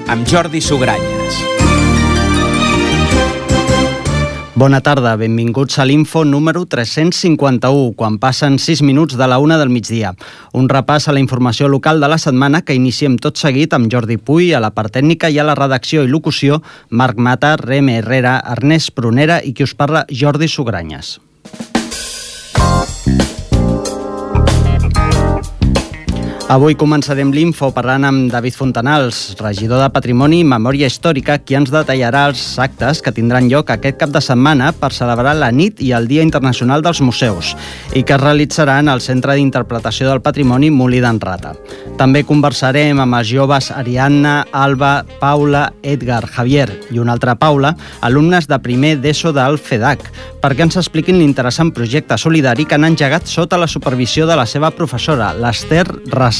amb Jordi Sugranyes. Bona tarda, benvinguts a l'Info número 351, quan passen 6 minuts de la 1 del migdia. Un repàs a la informació local de la setmana que iniciem tot seguit amb Jordi Puy, a la part tècnica i a la redacció i locució, Marc Mata, Reme Herrera, Ernest Prunera i qui us parla, Jordi Sugranyes. Avui començarem l'Info parlant amb David Fontanals, regidor de Patrimoni i Memòria Històrica, qui ens detallarà els actes que tindran lloc aquest cap de setmana per celebrar la nit i el Dia Internacional dels Museus i que es realitzaran al Centre d'Interpretació del Patrimoni Molí d'en Rata. També conversarem amb els joves Ariadna, Alba, Paula, Edgar, Javier i una altra Paula, alumnes de primer d'ESO del FEDAC, perquè ens expliquin l'interessant projecte solidari que han engegat sota la supervisió de la seva professora, l'Ester Rasal.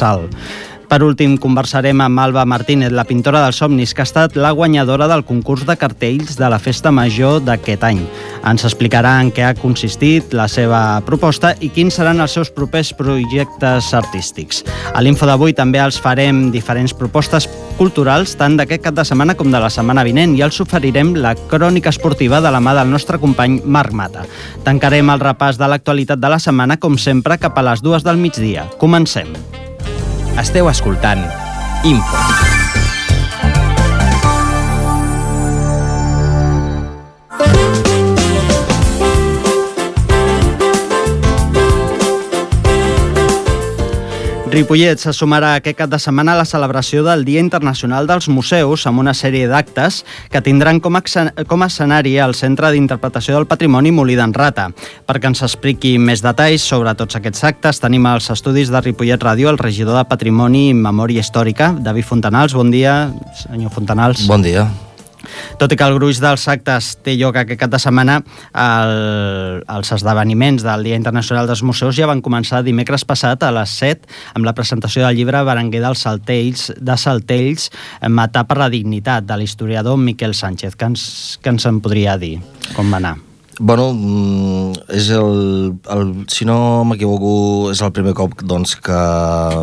Per últim, conversarem amb Alba Martínez, la pintora dels somnis, que ha estat la guanyadora del concurs de cartells de la Festa Major d'aquest any. Ens explicarà en què ha consistit la seva proposta i quins seran els seus propers projectes artístics. A l'Info d'avui també els farem diferents propostes culturals, tant d'aquest cap de setmana com de la setmana vinent, i els oferirem la crònica esportiva de la mà del nostre company Marc Mata. Tancarem el repàs de l'actualitat de la setmana, com sempre, cap a les 2 del migdia. Comencem. Esteu escoltant Info. Ripollet se sumarà aquest cap de setmana a la celebració del Dia Internacional dels Museus amb una sèrie d'actes que tindran com a escenari el Centre d'Interpretació del Patrimoni Molí d'en Rata. Perquè ens expliqui més detalls sobre tots aquests actes, tenim als estudis de Ripollet Ràdio el regidor de Patrimoni i Memòria Històrica, David Fontanals. Bon dia, senyor Fontanals. Bon dia. Tot i que el gruix dels actes té lloc aquest cap de setmana, els esdeveniments del Dia Internacional dels Museus ja van començar dimecres passat a les 7 amb la presentació del llibre Berenguer dels Saltells, Matar per la dignitat, de l'historiador Miquel Sánchez. Què ens en podria dir? Com va anar? Bueno, és si no m'equivoco, és el primer cop doncs, que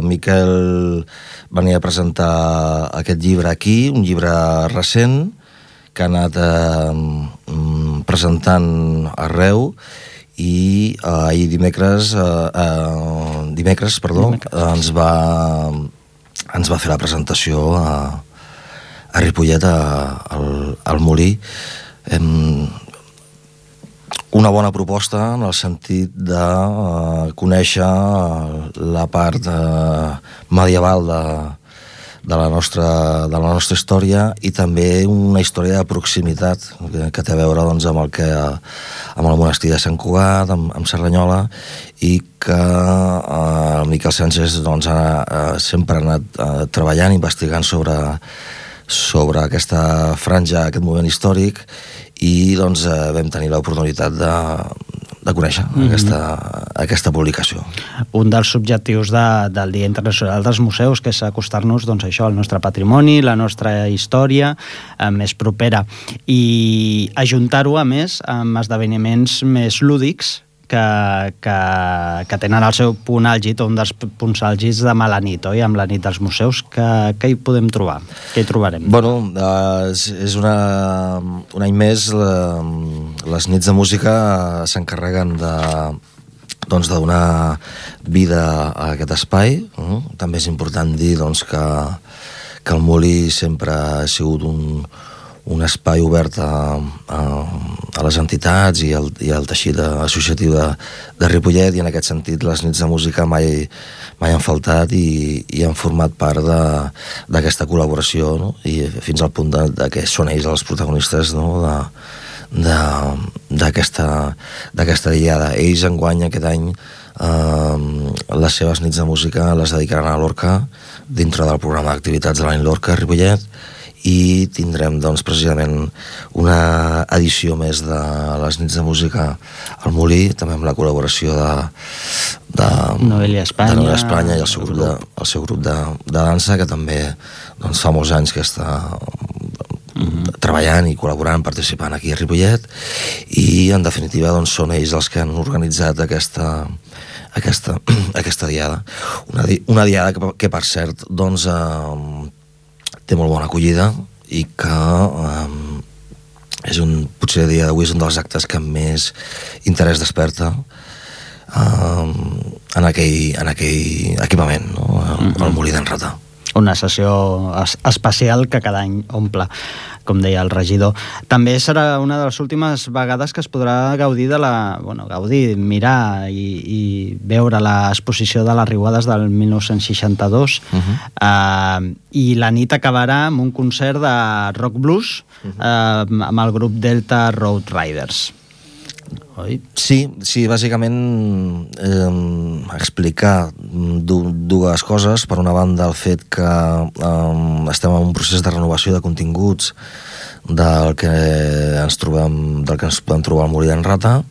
Miquel venia a presentar aquest llibre aquí, un llibre recent, que ha anat presentant arreu, i ahir dimecres ens va fer la presentació a Ripollet, al Molí. Una bona proposta en el sentit de conèixer la part medieval de la nostra història, i també una història de proximitat que té a veure doncs, amb el monestir de Sant Cugat, amb Cerdanyola, i que el Miquel Sánchez doncs, sempre ha anat treballant, investigant sobre aquesta franja, aquest moment històric, i doncs, vam tenir l'oportunitat de conèixer aquesta publicació. Un dels objectius del Dia Internacional dels Museus, que és acostar-nos doncs, al nostre patrimoni, la nostra història més propera, i ajuntar-ho, a més, amb esdeveniments més lúdics que tenen el seu punt àlgid, o un dels punts àlgids demà a la nit, oi? Amb la nit dels museus, què hi podem trobar? Què hi trobarem? Bueno, és un any més, les nits de música s'encarreguen de donar vida a aquest espai. També és important dir doncs, que el Molí sempre ha sigut un espai obert a les entitats i al teixit associatiu de Ripollet, i en aquest sentit les nits de música mai han faltat i han format part d'aquesta col·laboració, no? I fins al punt que són ells els protagonistes, no? d'aquesta diada. Ells enguany aquest any les seves nits de música les dedicaran a Lorca, dintre del programa d'activitats de l'any Lorca a Ripollet, i tindrem doncs, precisament una edició més de les nits de música al Molí, també amb la col·laboració de Noelia Espanya i el seu grup de dansa, que també doncs, fa molts anys que està treballant i col·laborant, participant aquí a Ripollet, i en definitiva doncs, són ells els que han organitzat aquesta diada. Una diada que per cert doncs, té molt bona acollida i que potser a dia d'avui és un dels actes que més interès desperta en aquell equipament, no? El Molí d'en Rata. Una sessió especial que cada any omple, com deia el regidor. També serà una de les últimes vegades que es podrà gaudir mirar i veure l'exposició de les Riuades del 1962. I la nit acabarà amb un concert de rock blues amb el grup Delta Road Riders. Oi? Sí, bàsicament explicar dues coses. Per una banda, el fet que estem en un procés de renovació de continguts del que ens podem trobar al Molí d'en Rata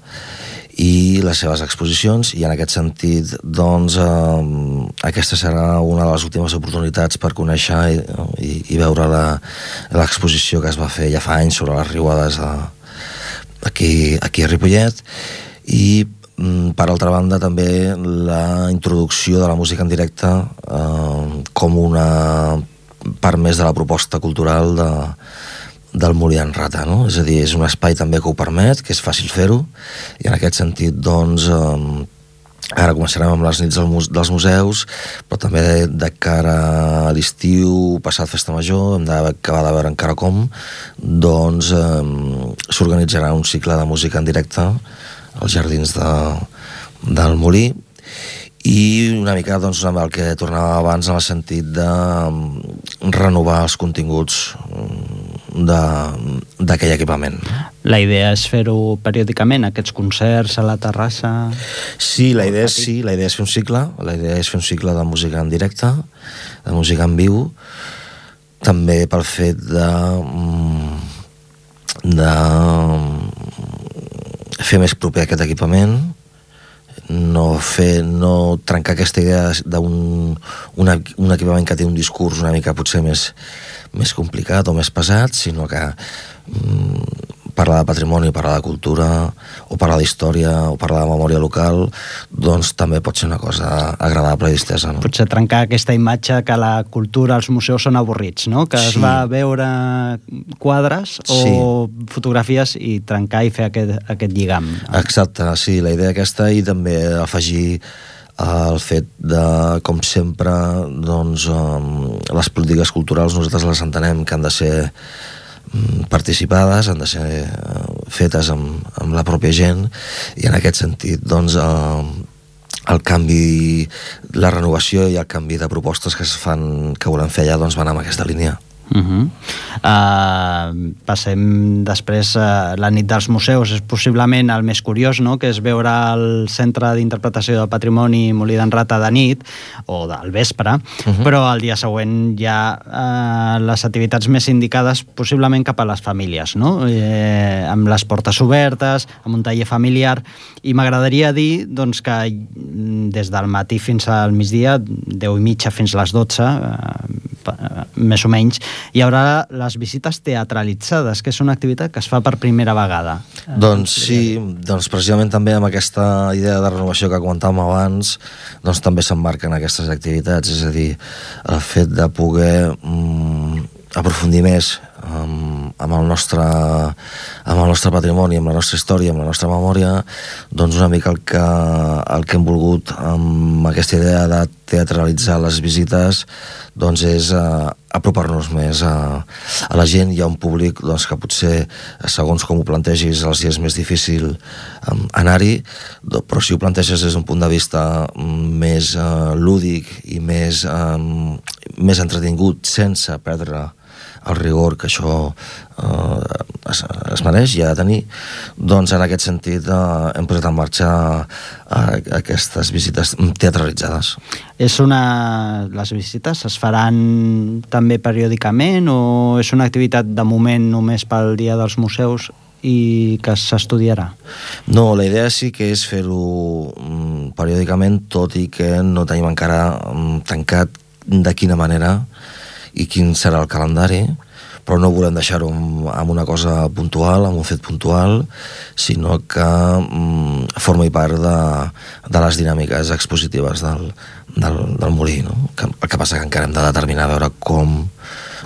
i les seves exposicions, i en aquest sentit doncs aquesta serà una de les últimes oportunitats per conèixer i veure l'exposició que es va fer ja fa anys sobre les Riuades aquí a Ripollet. I per altra banda també la introducció de la música en directe com una part més de la proposta cultural del Molí d'en Rata, no? És a dir, és un espai també que ho permet, que és fàcil fer-ho, i en aquest sentit doncs ara començarem amb les nits dels museus, però també de cara a l'estiu, passat Festa Major, hem d'acabar de veure encara com, doncs s'organitzarà un cicle de música en directe als jardins del Molí, i una mica doncs, amb el que tornava abans en el sentit de renovar els continguts d'aquell equipament. La idea és fer-ho periòdicament, aquests concerts a la terrassa? Sí, la idea és fer un cicle, de música en directe, de música en viu, també pel fet de fer més proper aquest equipament, no trencar aquesta idea d'un equipament que té un discurs una mica potser més complicat o més pesat, sinó que parlar de patrimoni, parlar de cultura o parlar d'història o parlar de memòria local, doncs també pot ser una cosa agradable i distesa, no? Potser trencar aquesta imatge que la cultura, els museus són avorrits, no? Que es va veure quadres o fotografies i trencar i fer aquest lligam. Exacte, sí, la idea aquesta, i també afegir el fet de, com sempre, doncs les polítiques culturals nosaltres les entenem que han de ser participades, han de ser fetes amb la pròpia gent, i en aquest sentit doncs el canvi, la renovació i el canvi de propostes que es fan, que volem fer allà, doncs van en aquesta línia. Passem després la nit dels museus, és possiblement el més curiós, no? Que és veure el Centre d'Interpretació del Patrimoni Molí d'en Rata de nit o del vespre, però el dia següent hi ha les activitats més indicades possiblement cap a les famílies, no? Amb les portes obertes, amb un taller familiar, i m'agradaria dir doncs, que des del matí fins al migdia, 10:30 fins a les 12, més o menys, hi haurà les visites teatralitzades, que és una activitat que es fa per primera vegada. Doncs sí, doncs precisament també amb aquesta idea de renovació que comentàvem abans, doncs també s'emmarquen aquestes activitats, és a dir, el fet de poder aprofundir més amb el nostre patrimoni, amb la nostra història, amb la nostra memòria, doncs una mica el que hem volgut amb aquesta idea de teatralitzar les visites doncs és apropar-nos més a la gent. Hi ha un públic doncs, que potser, segons com ho plantegis, els és més difícil anar-hi, però si ho planteges des d'un punt de vista més lúdic i més entretingut, sense perdre el rigor que això es mereix i ha de tenir, doncs en aquest sentit hem posat en marxa aquestes visites teatralitzades. Les visites es faran també periòdicament o és una activitat de moment només pel Dia dels Museus i que s'estudiarà? No, la idea sí que és fer-ho periòdicament, tot i que no tenim encara tancat de quina manera i quin serà el calendari, però no volem deixar-ho amb una cosa puntual, amb un fet puntual, sinó que formi part de les dinàmiques expositives del molí, no? El que passa que encara hem de determinar a veure com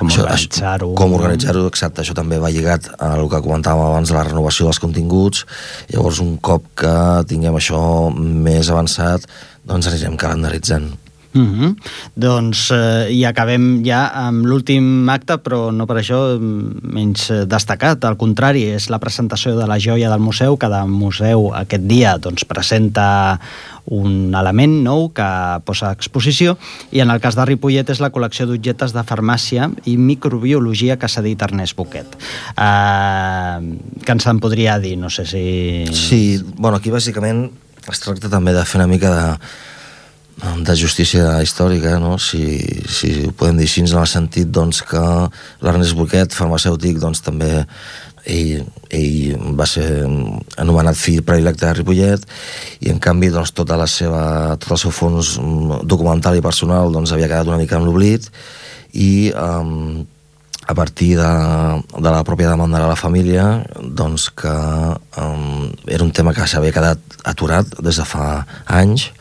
organitzar-ho, exacte. Això també va lligat al que comentàvem abans de la renovació dels continguts. Llavors, un cop que tinguem això més avançat, doncs anirem calendaritzant. Doncs i acabem ja amb l'últim acte, però no per això menys destacat. Al contrari, és la presentació de la joia del museu. Cada museu aquest dia doncs, presenta un element nou que posa a exposició, i en el cas de Ripollet és la col·lecció d'objectes de farmàcia i microbiologia que s'ha dit Ernest Boquet. Què ens en podria dir? No sé si... Sí, bueno, aquí bàsicament es tracta també de fer una mica de justícia històrica, no? Si ho podem dir així, en el sentit doncs, que l'Ernest Boquet, farmacèutic, doncs, també ell va ser anomenat fill predilecte de Ripollet, i en canvi doncs, tot el seu fons documental i personal doncs, havia quedat una mica en l'oblit, i a partir de la pròpia demanda de la família, doncs, que era un tema que s'havia quedat aturat des de fa anys,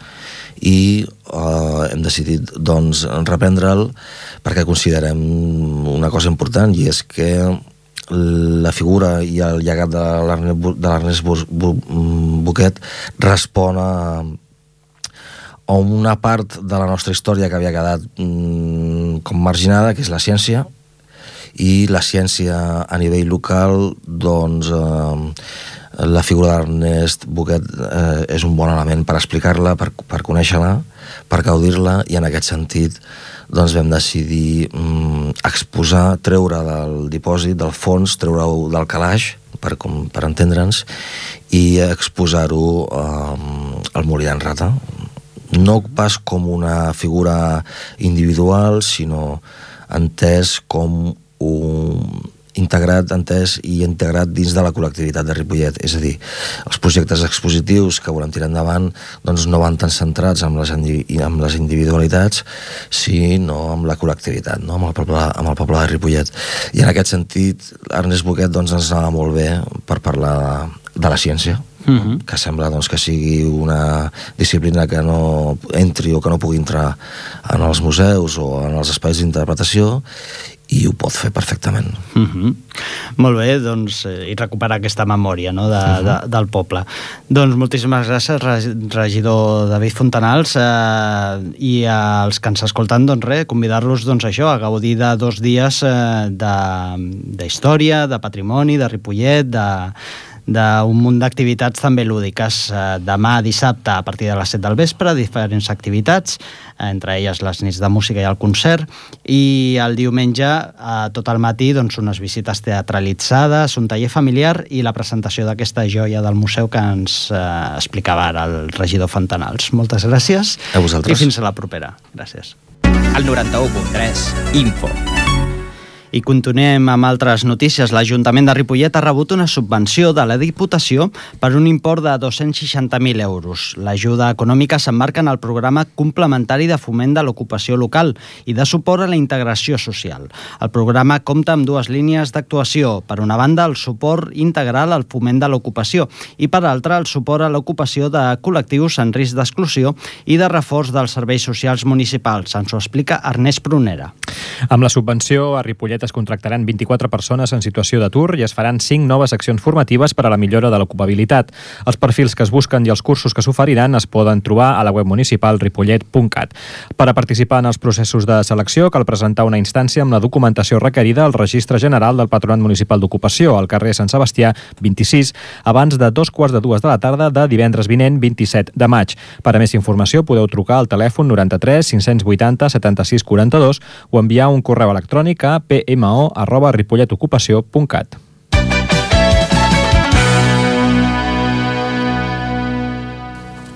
i hem decidit doncs, reprendre'l perquè considerem una cosa important, i és que la figura i el llegat de l'Ernest Boquet respon a una part de la nostra història que havia quedat com marginada, que és la ciència, i la ciència a nivell local, doncs la figura d'Ernest Boquet és un bon element per explicar-la, per conèixer-la, per gaudir-la, i en aquest sentit doncs vam decidir exposar, treure del dipòsit, del fons, treure-ho del calaix, per entendre'ns, i exposar-ho al molí d'en Rata. No pas com una figura individual, sinó entès com integrat dins de la col·lectivitat de Ripollet. És a dir, els projectes expositius que volem tirar endavant doncs no van tan centrats amb les individualitats, sinó amb la col·lectivitat, no? amb el poble de Ripollet. I en aquest sentit, Ernest Boquet doncs, ens anava molt bé per parlar de la ciència, que sembla doncs, que sigui una disciplina que no entri o que no pugui entrar en els museus o en els espais d'interpretació, i ho pot fer perfectament. Molt bé, doncs, i recuperar aquesta memòria, no, del poble. Doncs moltíssimes gràcies, regidor David Fontanals, i als que ens escolten, doncs res, convidar-los doncs, a gaudir de 2 dies d'història, de patrimoni, de Ripollet, d'un munt d'activitats també lúdiques. Demà dissabte a partir de les 7 del vespre, diferents activitats, entre elles les nits de música i el concert, i el diumenge tot el matí doncs, unes visites teatralitzades, un taller familiar i la presentació d'aquesta joia del museu que ens explicava ara el regidor Fontanals. Moltes gràcies. A vosaltres. I fins a la propera. Gràcies. El 91.3 Info. I continuem amb altres notícies. L'Ajuntament de Ripollet ha rebut una subvenció de la Diputació per un import de 260.000 euros. L'ajuda econòmica s'emmarca en el programa complementari de foment de l'ocupació local i de suport a la integració social. El programa compta amb 2 línies d'actuació. Per una banda, el suport integral al foment de l'ocupació i, per altra, el suport a l'ocupació de col·lectius en risc d'exclusió i de reforç dels serveis socials municipals. Ens ho explica Ernest Prunera. Amb la subvenció, a Ripollet es contractaran 24 persones en situació d'atur i es faran 5 noves accions formatives per a la millora de l'ocupabilitat. Els perfils que es busquen i els cursos que s'oferiran es poden trobar a la web municipal ripollet.cat. Per a participar en els processos de selecció cal presentar una instància amb la documentació requerida al Registre General del Patronat Municipal d'Ocupació, al carrer Sant Sebastià 26, abans de 2:15 de la tarda de divendres vinent 27 de maig. Per a més informació podeu trucar al telèfon 93 580 76 42 o enviar un correu electrònic a pmo@ripolletocupació.cat.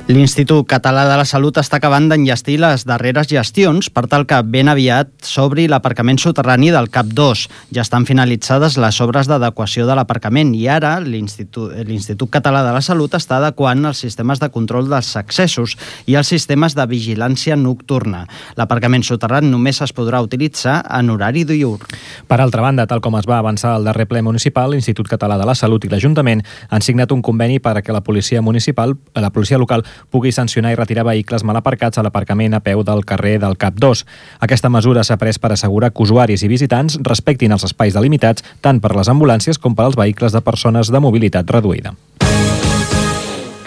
L'Institut Català de la Salut està acabant d'enllestir les darreres gestions per tal que ben aviat s'obri l'aparcament soterrani del CAP 2. Ja estan finalitzades les obres d'adequació de l'aparcament i ara l'Institut Català de la Salut està adequant els sistemes de control dels accessos i els sistemes de vigilància nocturna. L'aparcament soterrani només es podrà utilitzar en horari diürn. Per altra banda, tal com es va avançar al darrer ple municipal, l'Institut Català de la Salut i l'Ajuntament han signat un conveni perquè la policia local pugui sancionar i retirar vehicles mal aparcats a l'aparcament a peu del carrer del CAP 2. Aquesta mesura s'ha pres per assegurar que usuaris i visitants respectin els espais delimitats tant per les ambulàncies com per als vehicles de persones de mobilitat reduïda.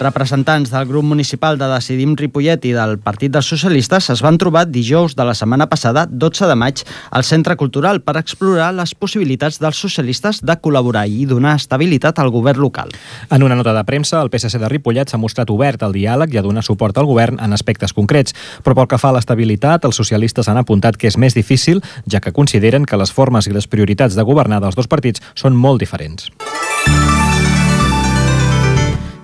Representants del grup municipal de Decidim Ripollet i del Partit dels Socialistes es van trobar dijous de la setmana passada, 12 de maig, al Centre Cultural per explorar les possibilitats dels socialistes de col·laborar i donar estabilitat al govern local. En una nota de premsa, el PSC de Ripollet s'ha mostrat obert al diàleg i a donar suport al govern en aspectes concrets, però pel que fa a l'estabilitat, els socialistes han apuntat que és més difícil, ja que consideren que les formes i les prioritats de governar dels dos partits són molt diferents.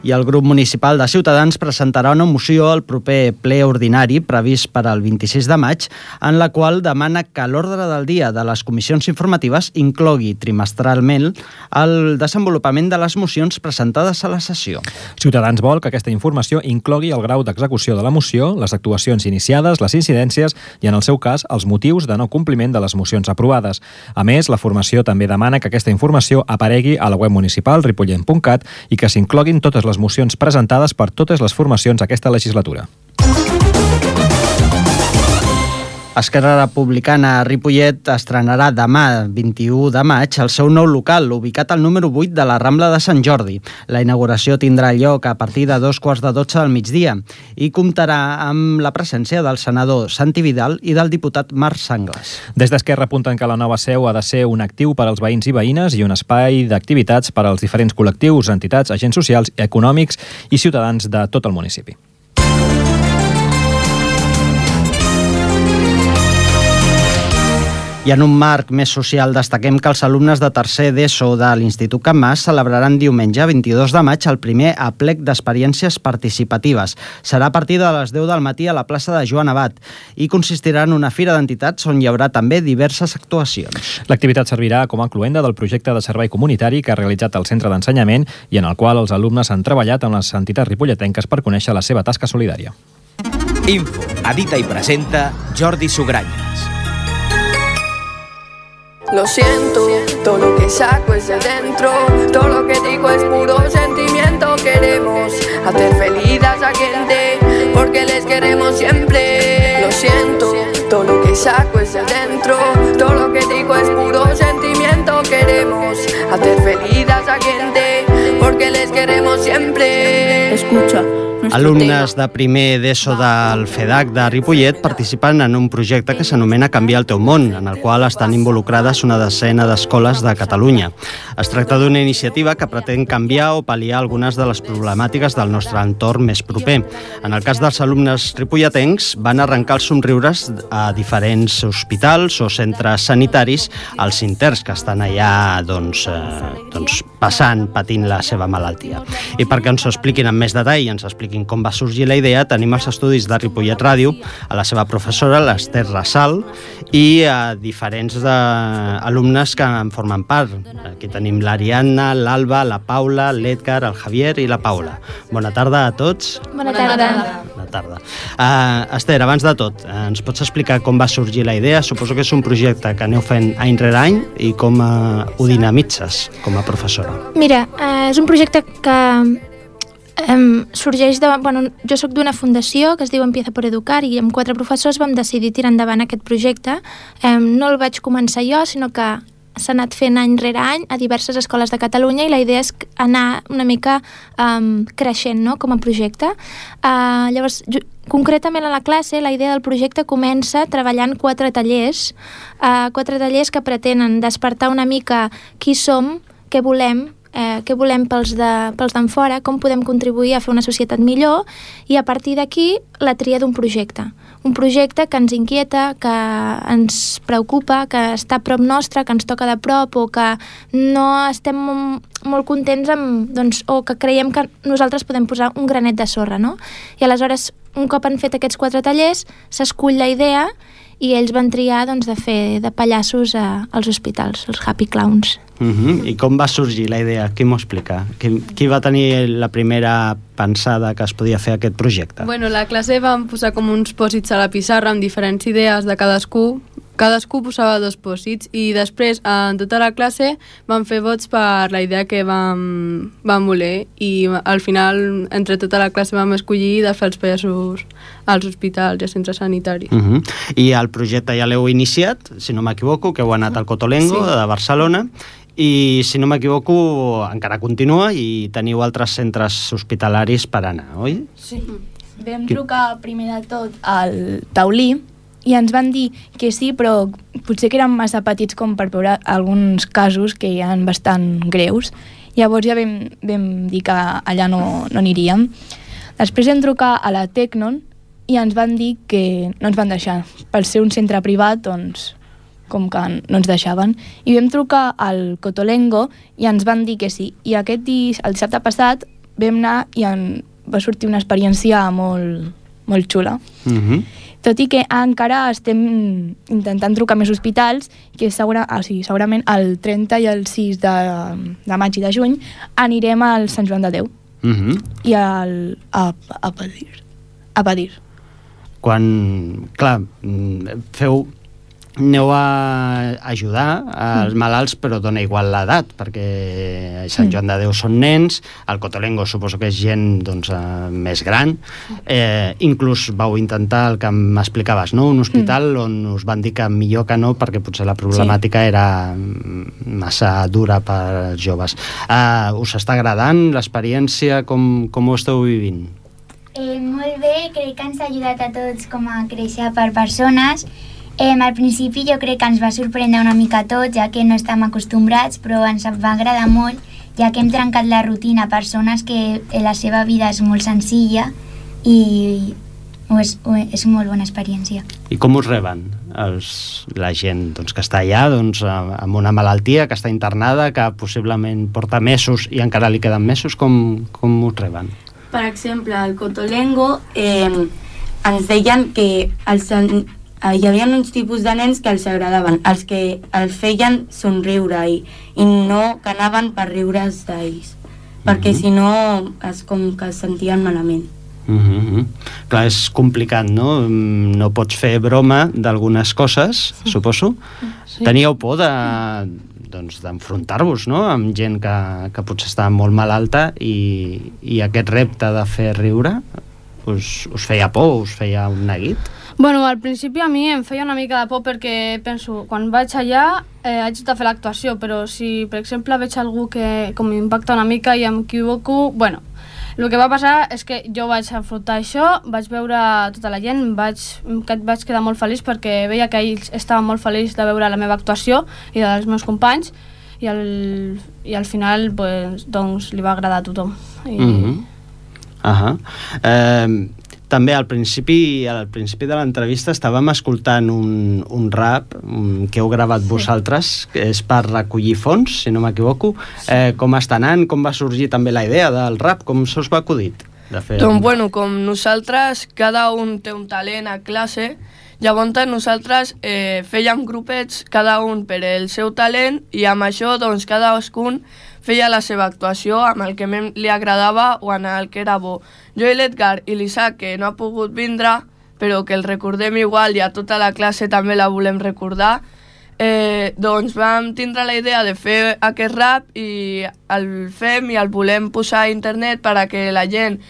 I el grup municipal de Ciutadans presentarà una moció al proper ple ordinari previst per al 26 de maig, en la qual demana que l'ordre del dia de les comissions informatives inclogui trimestralment el desenvolupament de les mocions presentades a la sessió. Ciutadans vol que aquesta informació inclogui el grau d'execució de la moció, les actuacions iniciades, les incidències i, en el seu cas, els motius de no compliment de les mocions aprovades. A més, la formació també demana que aquesta informació aparegui a la web municipal ripollet.cat i que s'incloguin totes les mocions presentades per totes les formacions aquesta legislatura. Esquerra Republicana Ripollet estrenarà demà, 21 de maig, el seu nou local, ubicat al número 8 de la Rambla de Sant Jordi. La inauguració tindrà lloc a partir de 2:15 del migdia i comptarà amb la presència del senador Santi Vidal i del diputat Marc Sanglas. Des d'Esquerra apunten que la nova seu ha de ser un actiu per als veïns i veïnes i un espai d'activitats per als diferents col·lectius, entitats, agents socials, econòmics i ciutadans de tot el municipi. I en un marc més social destaquem que els alumnes de tercer d'ESO de l'Institut Can Mas celebraran diumenge 22 de maig el primer aplec d'experiències participatives. Serà a partir de les 10 del matí a la plaça de Joan Abat i consistirà en una fira d'entitats on hi haurà també diverses actuacions. L'activitat servirà com a cloenda del projecte de servei comunitari que ha realitzat el centre d'ensenyament i en el qual els alumnes han treballat amb les entitats ripolletenques per conèixer la seva tasca solidària. Info, edita i presenta Jordi Sugranyes. Lo siento, todo lo que saco es de dentro, todo lo que digo es puro sentimiento. Queremos hacer feliz a esa gente, porque les queremos siempre. Lo siento, todo lo que saco es de dentro, todo lo que digo es puro sentimiento. Queremos hacer feliz a esa gente, porque les queremos siempre. Escucha. Alumnes de primer d'ESO del FEDAC de Ripollet participen en un projecte que s'anomena Canviar el teu món, en el qual estan involucrades una desena d'escoles de Catalunya. Es tracta d'una iniciativa que pretén canviar o pal·liar algunes de les problemàtiques del nostre entorn més proper. En el cas dels alumnes ripolletens, van arrencar els somriures a diferents hospitals o centres sanitaris als interns que estan allà patint la seva malaltia. I perquè ens ho expliquin amb més detall i ens expliquin com va sorgir la idea, tenim els estudis de Ripollet Ràdio, a la seva professora, l'Ester Rassal, i a diferents alumnes que en formen part. Aquí tenim l'Ariadna, l'Alba, la Paula, l'Edgar, el Javier i la Paula. Bona tarda a tots. Bona tarda. Bona tarda. Ester, abans de tot, ens pots explicar com va sorgir la idea? Suposo que és un projecte que aneu fent any rere any i com ho dinamitzes com a professora. Mira, és un projecte que sorgeix de... jo soc d'una fundació que es diu Empieza por Educar i amb 4 professors vam decidir tirar endavant aquest projecte. No el vaig començar jo, sinó que s'ha anat fent any rere any a diverses escoles de Catalunya i la idea és anar una mica creixent, no?, com a projecte. Llavors, concretament a la classe, la idea del projecte comença treballant 4 tallers que pretenen despertar una mica qui som, què volem pels d'en fora, com podem contribuir a fer una societat millor i a partir d'aquí la tria d'un projecte un projecte que ens inquieta, que ens preocupa, que està a prop nostre, que ens toca de prop o que no estem molt contents amb, doncs, o que creiem que nosaltres podem posar un granet de sorra, no? I aleshores, un cop han fet aquests 4 tallers, s'escull la idea i ells van triar doncs, de fer de pallassos als hospitals, els Happy Clowns. I com va sorgir la idea? Qui m'ho explica? Qui va tenir la primera pensada que es podia fer aquest projecte? Bueno, la classe vam posar com uns pòsits a la pissarra amb diferents idees de cadascú. Cadascú posava 2 pòsits i després en tota la classe vam fer vots per la idea que vam voler i al final entre tota la classe vam escollir de fer els pallassos als hospitals i als centres sanitaris. I el projecte ja l'heu iniciat, si no m'equivoco, que heu anat al Cotolengo de Barcelona i si no m'equivoco encara continua i teniu altres centres hospitalaris per anar, oi? Sí. Vam trucar primer de tot al Taulí i ens van dir que sí, però potser que eren massa petits com per veure alguns casos que hi ha bastant greus. Llavors ja vam dir que allà no aniríem. Després vam trucar a la Tecnon i ens van dir que no ens van deixar. Per ser un centre privat, doncs, com que no ens deixaven. I vam trucar al Cotolengo i ens van dir que sí. I el dissabte passat vam anar i va sortir una experiència molt, molt xula. Tot i que encara estem intentant trucar més hospitals, que segurament el 30 i el 6 de maig i de juny anirem al Sant Joan de Déu i a Padir. Quan, clar, aneu a ajudar als malalts, però dona igual l'edat, perquè Sant Joan de Déu són nens, el Cotolengo suposo que és gent doncs, més gran. Inclús vau intentar el que m'explicaves, no? Un hospital on us van dir que millor que no, perquè potser la problemàtica era massa dura per joves. Us està agradant l'experiència? Com ho esteu vivint? Molt bé, crec que ens ha ajudat a tots com a créixer per persones. Al principi jo crec que ens va sorprendre una mica tot, ja que no estem acostumbrats, però ens va agradar molt, ja que hem trencat la rutina a persones que la seva vida és molt senzilla i és molt bona experiència. I com us reben la gent que està allà amb una malaltia, que està internada, que possiblement porta mesos i encara li queden mesos? Com us reben? Per exemple, al Cotolengo ens deien que hi havia uns tipus de nens que els agradaven, els que els feien somriure i no que anaven per riure's d'ells, perquè si no és com que es sentien malament. Clar, és complicat, no? No pots fer broma d'algunes coses, suposo. Teníeu por d'enfrontar-vos, no?, amb gent que potser està molt malalta i aquest repte de fer riure us feia por, us feia un neguit? Bueno, al principi a mi em feia una mica de por perquè penso, quan vaig allà haig de fer l'actuació, però si per exemple veig algú que com m'impacta una mica i em equivoco, bueno, el que va passar és que jo vaig afrontar això, vaig veure tota la gent, vaig quedar molt feliç perquè veia que ells estaven molt feliços de veure la meva actuació i dels meus companys i al final doncs, li va agradar a tothom. També al principi de l'entrevista estàvem escoltant un rap que heu gravat vosaltres, que és per recollir fons, si no m'equivoco. Com està anant? Com va sorgir també la idea del rap? Com se us va acudit de fer? Doncs bueno, com nosaltres, cada un té un talent a classe, llavors nosaltres fèiem grupets, cada un per el seu talent, i amb això doncs cadascun feia la seva actuació amb el que li agradava o en el que era bo. Jo i l'Edgar i l'Isaac, que no ha pogut vindre, però que el recordem igual i a tota la classe també la volem recordar, doncs vam tindre la idea de fer aquest rap i el fem i el volem posar a internet per a que la gent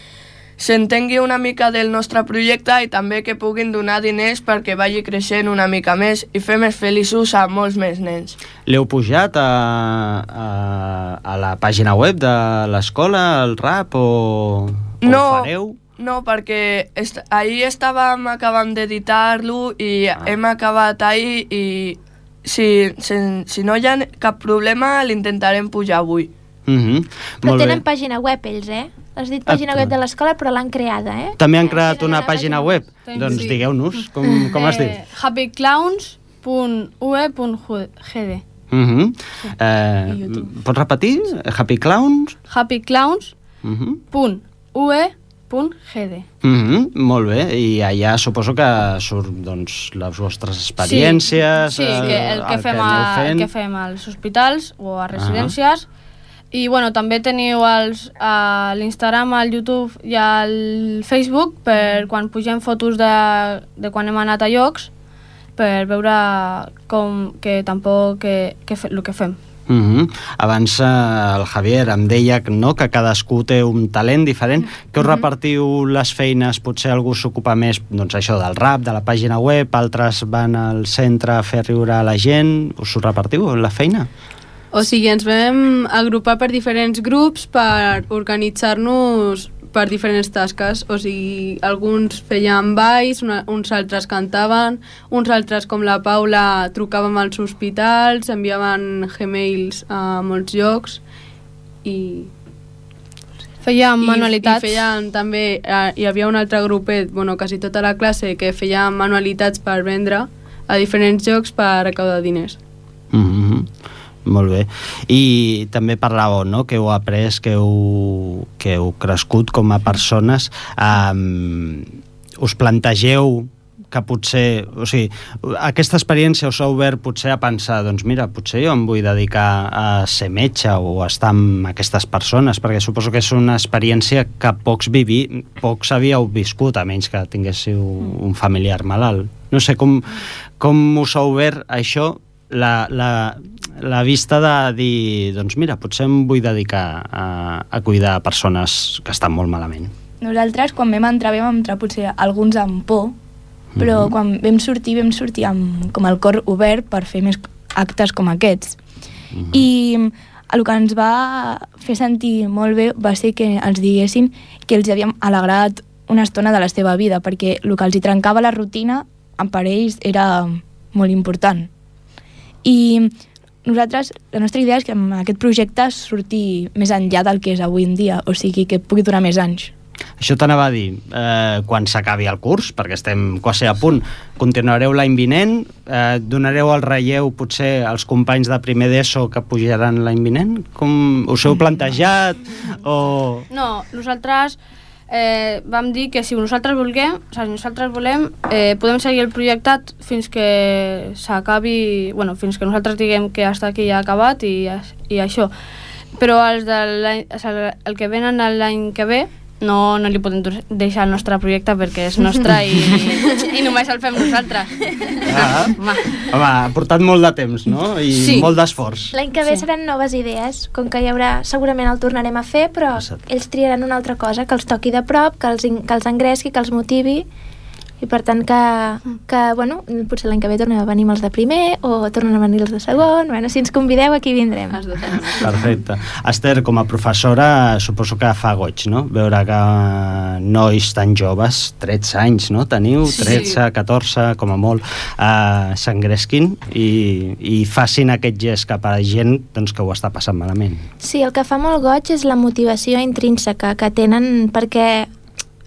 s'entengui una mica del nostre projecte i també que puguin donar diners perquè vagi creixent una mica més i fer més feliços a molts més nens. L'heu pujat a la pàgina web de l'escola, el rap, o ho fareu? No, perquè ahir estàvem acabant d'editar-lo i hem acabat ahir i si no hi ha cap problema l'intentarem pujar avui. Però tenen pàgina web ells, has dit pàgina web de l'escola, però l'han creada, També han creat una pàgina web? Doncs digueu-nos, com es diu? happyclowns.ue.gd Pots repetir? Happy Clowns? happyclowns.ue.gd Molt bé, i allà suposo que surt les vostres experiències, sí, el que fem als hospitals o a residències. I bueno, també teniu l'Instagram, el YouTube i el Facebook per quan pugem fotos de quan hem anat a llocs, per veure el que fem. Abans el Javier em deia que cadascú té un talent diferent. Que us repartiu les feines? Potser algú s'ocupa més això del rap, de la pàgina web, altres van al centre a fer riure a la gent. Us ho repartiu, la feina? O sigui, ens vam agrupar per diferents grups per organitzar-nos per diferents tasques. O sigui, alguns feien balls, uns altres cantaven, uns altres, com la Paula, trucàvem als hospitals, enviaven Gmails a molts llocs i fèiem manualitats. I feien també, hi havia un altre grupet, quasi tota la classe, que feien manualitats per vendre a diferents llocs per recaudar diners. Molt bé. I també parlàveu, que heu après, que heu crescut com a persones. Us plantegeu que potser... O sigui, aquesta experiència us ha obert potser a pensar, doncs mira, potser jo em vull dedicar a ser metge o a estar amb aquestes persones, perquè suposo que és una experiència que pocs havíeu viscut, a menys que tinguéssiu un familiar malalt. No sé, com us ha obert això, la vista de dir, doncs mira, potser em vull dedicar a cuidar persones que estan molt malament. Nosaltres, quan vam entrar potser alguns amb por, però quan vam sortir amb com el cor obert per fer més actes com aquests. I el que ens va fer sentir molt bé va ser que els diguessin que els havíem alegrat una estona de la seva vida, perquè el que els hi trencava la rutina per ells era molt important. I nosaltres, la nostra idea és que amb aquest projecte surti més enllà del que és avui en dia, o sigui, que pugui durar més anys. Això t'anava a dir, quan s'acabi el curs, perquè estem quasi a punt, continuareu l'any vinent? Donareu el relleu potser als companys de primer d'ESO que pujaran l'any vinent? Com us heu plantejat? No, nosaltres vam dir que si nosaltres volem, podem seguir el projecte fins que s'acabi, fins que nosaltres diguem que hasta aquí ja ha acabat i això. Però el que venen l'any que ve no li podem deixar el nostre projecte perquè és nostre i només el fem nosaltres. Home, ha portat molt de temps, no? I molt d'esforç. L'any que ve seran noves idees, com que hi haurà, segurament el tornarem a fer, però ells triaran una altra cosa, que els toqui de prop, que els engresqui, que els motivi, i per tant potser l'any que ve tornem a venir els de primer o tornen a venir els de segon. Si ens convideu, aquí vindrem. Perfecte. Esther, com a professora, suposo que fa goig, no? Veure que nois tan joves, 13 anys, no? Teniu 13, 14, com a molt, s'engresquin i facin aquest gest cap a la gent que ho està passant malament. Sí, el que fa molt goig és la motivació intrínseca que tenen, perquè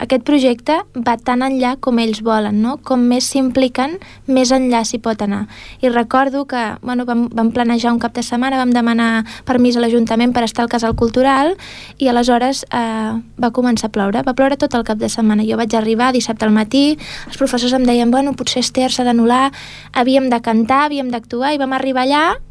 aquest projecte va tan enllà com ells volen, no? Com més s'impliquen, més enllà s'hi pot anar. I recordo que vam planejar un cap de setmana, vam demanar permís a l'Ajuntament per estar al Casal Cultural i aleshores va començar a ploure. Va ploure tot el cap de setmana. Jo vaig arribar dissabte al matí, els professors em deien potser Esther s'ha d'anul·lar, havíem de cantar, havíem d'actuar, i vam arribar allà.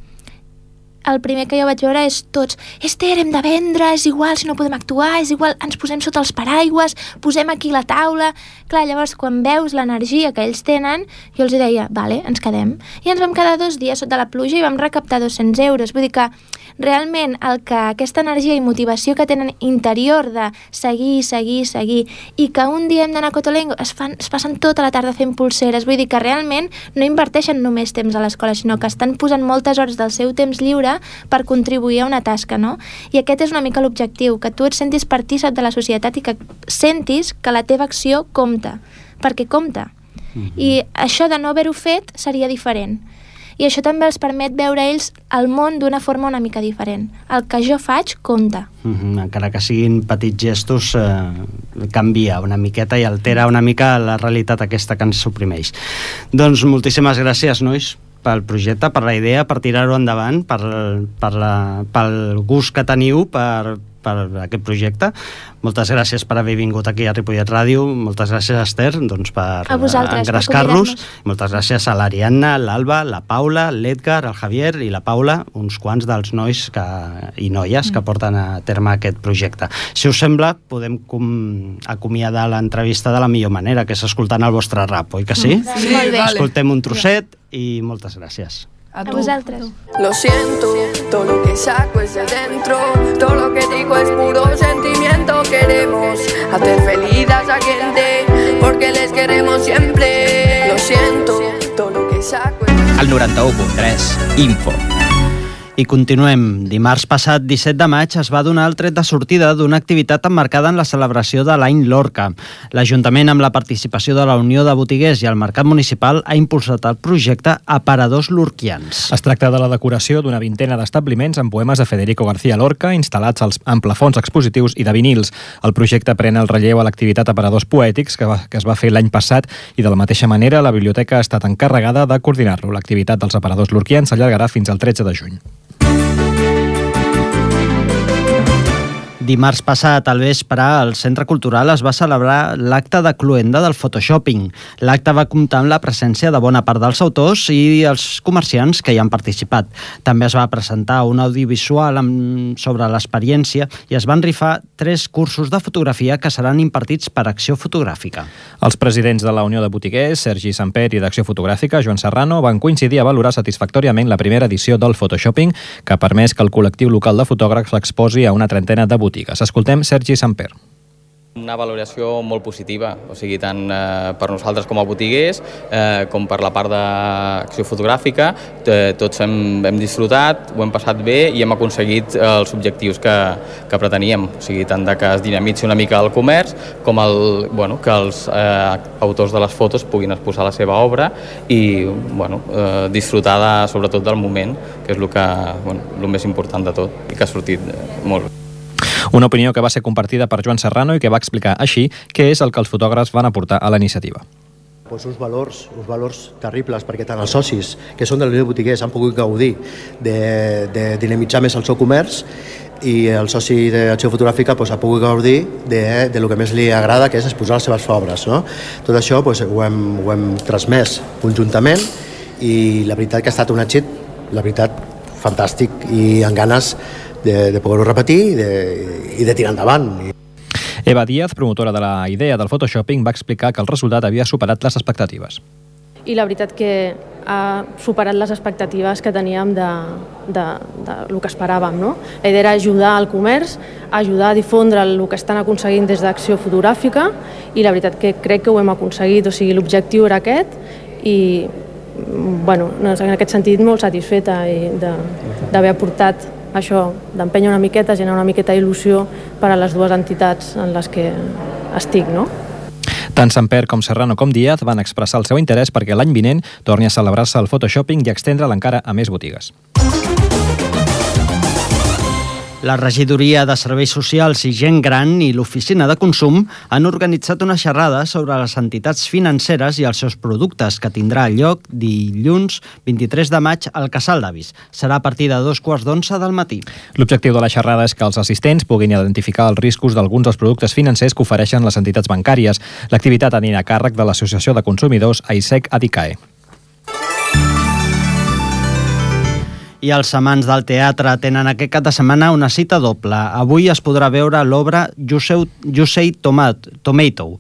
El primer que jo vaig veure és tots, Esther, hem de vendre, és igual si no podem actuar, és igual, ens posem sota els paraigües, posem aquí la taula. Clar, llavors quan veus l'energia que ells tenen, jo els deia, vale, ens quedem. I ens vam quedar 2 dies sota la pluja i vam recaptar 200 euros. Vull dir que realment aquesta energia i motivació que tenen interior de seguir, i que un dia hem d'anar a Cotolengo, es passen tota la tarda fent pulseres. Vull dir que realment no inverteixen només temps a l'escola, sinó que estan posant moltes hores del seu temps lliure per contribuir a una tasca, no? I aquest és una mica l'objectiu, que tu et sentis partícip de la societat i que sentis que la teva acció compta, perquè compta. I això de no haver-ho fet seria diferent. i això també els permet veure ells el món d'una forma una mica diferent. El que jo faig compta. Encara que siguin petits gestos, canvia una miqueta i altera una mica la realitat aquesta que ens suprimeix. Doncs moltíssimes gràcies, nois, pel projecte, per la idea, per tirar-ho endavant, pel gust que teniu per aquest projecte. Moltes gràcies per haver vingut aquí a Ripollet Ràdio. Moltes gràcies, Esther, doncs, per engrescar-los. Moltes gràcies a l'Ariadna, l'Alba, la Paula, l'Edgar, el Javier i la Paula, uns quants dels nois i noies que porten a terme aquest projecte. Si us sembla, podem acomiadar l'entrevista de la millor manera, que és escoltant el vostre rap, oi que sí? Sí, molt bé. Escoltem un trosset i moltes gràcies. A vosaltres. Lo siento, todo lo que saco es de dentro, todo lo que digo es puro sentimiento. Queremos hacer feliz a esa gente, porque les queremos siempre. Lo siento, todo lo que saco es de dentro. Al 91.3, Info. I continuem. Dimarts passat, 17 de maig, es va donar el tret de sortida d'una activitat emmarcada en la celebració de l'any Lorca. L'Ajuntament, amb la participació de la Unió de Botiguers i el Mercat Municipal, ha impulsat el projecte Aparadors Lorquians. Es tracta de la decoració d'una vintena d'establiments amb poemes de Federico García Lorca instal·lats en plafons expositius i de vinils. El projecte pren el relleu a l'activitat Aparadors Poètics que es va fer l'any passat i de la mateixa manera la biblioteca ha estat encarregada de coordinar-lo. L'activitat dels Aparadors Lorquians s'allargarà fins al 13 de juny. Dimarts passat, al vespre, al Centre Cultural es va celebrar l'acte de cloenda del Photoshopping. L'acte va comptar amb la presència de bona part dels autors i els comerciants que hi han participat. També es va presentar un audiovisual sobre l'experiència i es van rifar 3 cursos de fotografia que seran impartits per Acció Fotogràfica. Els presidents de la Unió de Botiguers, Sergi Samper, i d'Acció Fotogràfica, Joan Serrano, van coincidir a valorar satisfactòriament la primera edició del Photoshopping, que ha permès que el col·lectiu local de fotògrafs l'exposi a una trentena de botigues. Escoltem Sergi Samper. Una valoració molt positiva, o sigui, tant per nosaltres com a botiguers, com per la part d'acció fotogràfica. Tots hem disfrutat, ho hem passat bé i hem aconseguit els objectius que preteníem, o sigui, tant que es dinamitzi una mica el comerç com que els autors de les fotos puguin exposar la seva obra i disfrutar sobretot del moment, que és el més important de tot i que ha sortit molt bé. Una opinió que va ser compartida per Joan Serrano i que va explicar així què és el que els fotògrafs van aportar a la iniciativa. Uns valors terribles, perquè tant els socis, que són de la Unió de Botiguers, han pogut gaudir de dinamitzar més el seu comerç i el soci d'Acció Fotogràfica ha pogut gaudir de lo que més li agrada, que és exposar les seves obres. No? Tot això ho hem transmès conjuntament i la veritat que ha estat un èxit, la veritat, fantàstic i amb ganes de poder-ho repetir i de tirar endavant. Eva Díaz, promotora de la idea del Photoshopping, va explicar que el resultat havia superat les expectatives. I la veritat que ha superat les expectatives que teníem de lo que esperàvem. No? La idea era ajudar al comerç, ajudar a difondre el que estan aconseguint des d'Acció Fotogràfica i la veritat que crec que ho hem aconseguit. O sigui, l'objectiu era aquest i en aquest sentit molt satisfeta d'haver aportat això, d'empènyer una miqueta, generar una miqueta d'il·lusió per a les dues entitats en les que estic, no? Tant Samper com Serrano com Díaz van expressar el seu interès perquè l'any vinent torni a celebrar-se el Photoshopping i extendre'l encara a més botigues. La Regidoria de Serveis Socials i Gent Gran i l'Oficina de Consum han organitzat una xerrada sobre les entitats financeres i els seus productes que tindrà lloc dilluns 23 de maig al Casal d'Avis. Serà a partir de 2:15 del matí. L'objectiu de la xerrada és que els assistents puguin identificar els riscos d'alguns dels productes financers que ofereixen les entitats bancàries. L'activitat anirà a càrrec de l'Associació de Consumidors AISEC Adicae. I els amants del teatre tenen aquest cap de setmana una cita doble. Avui es podrà veure l'obra You Say Tomato,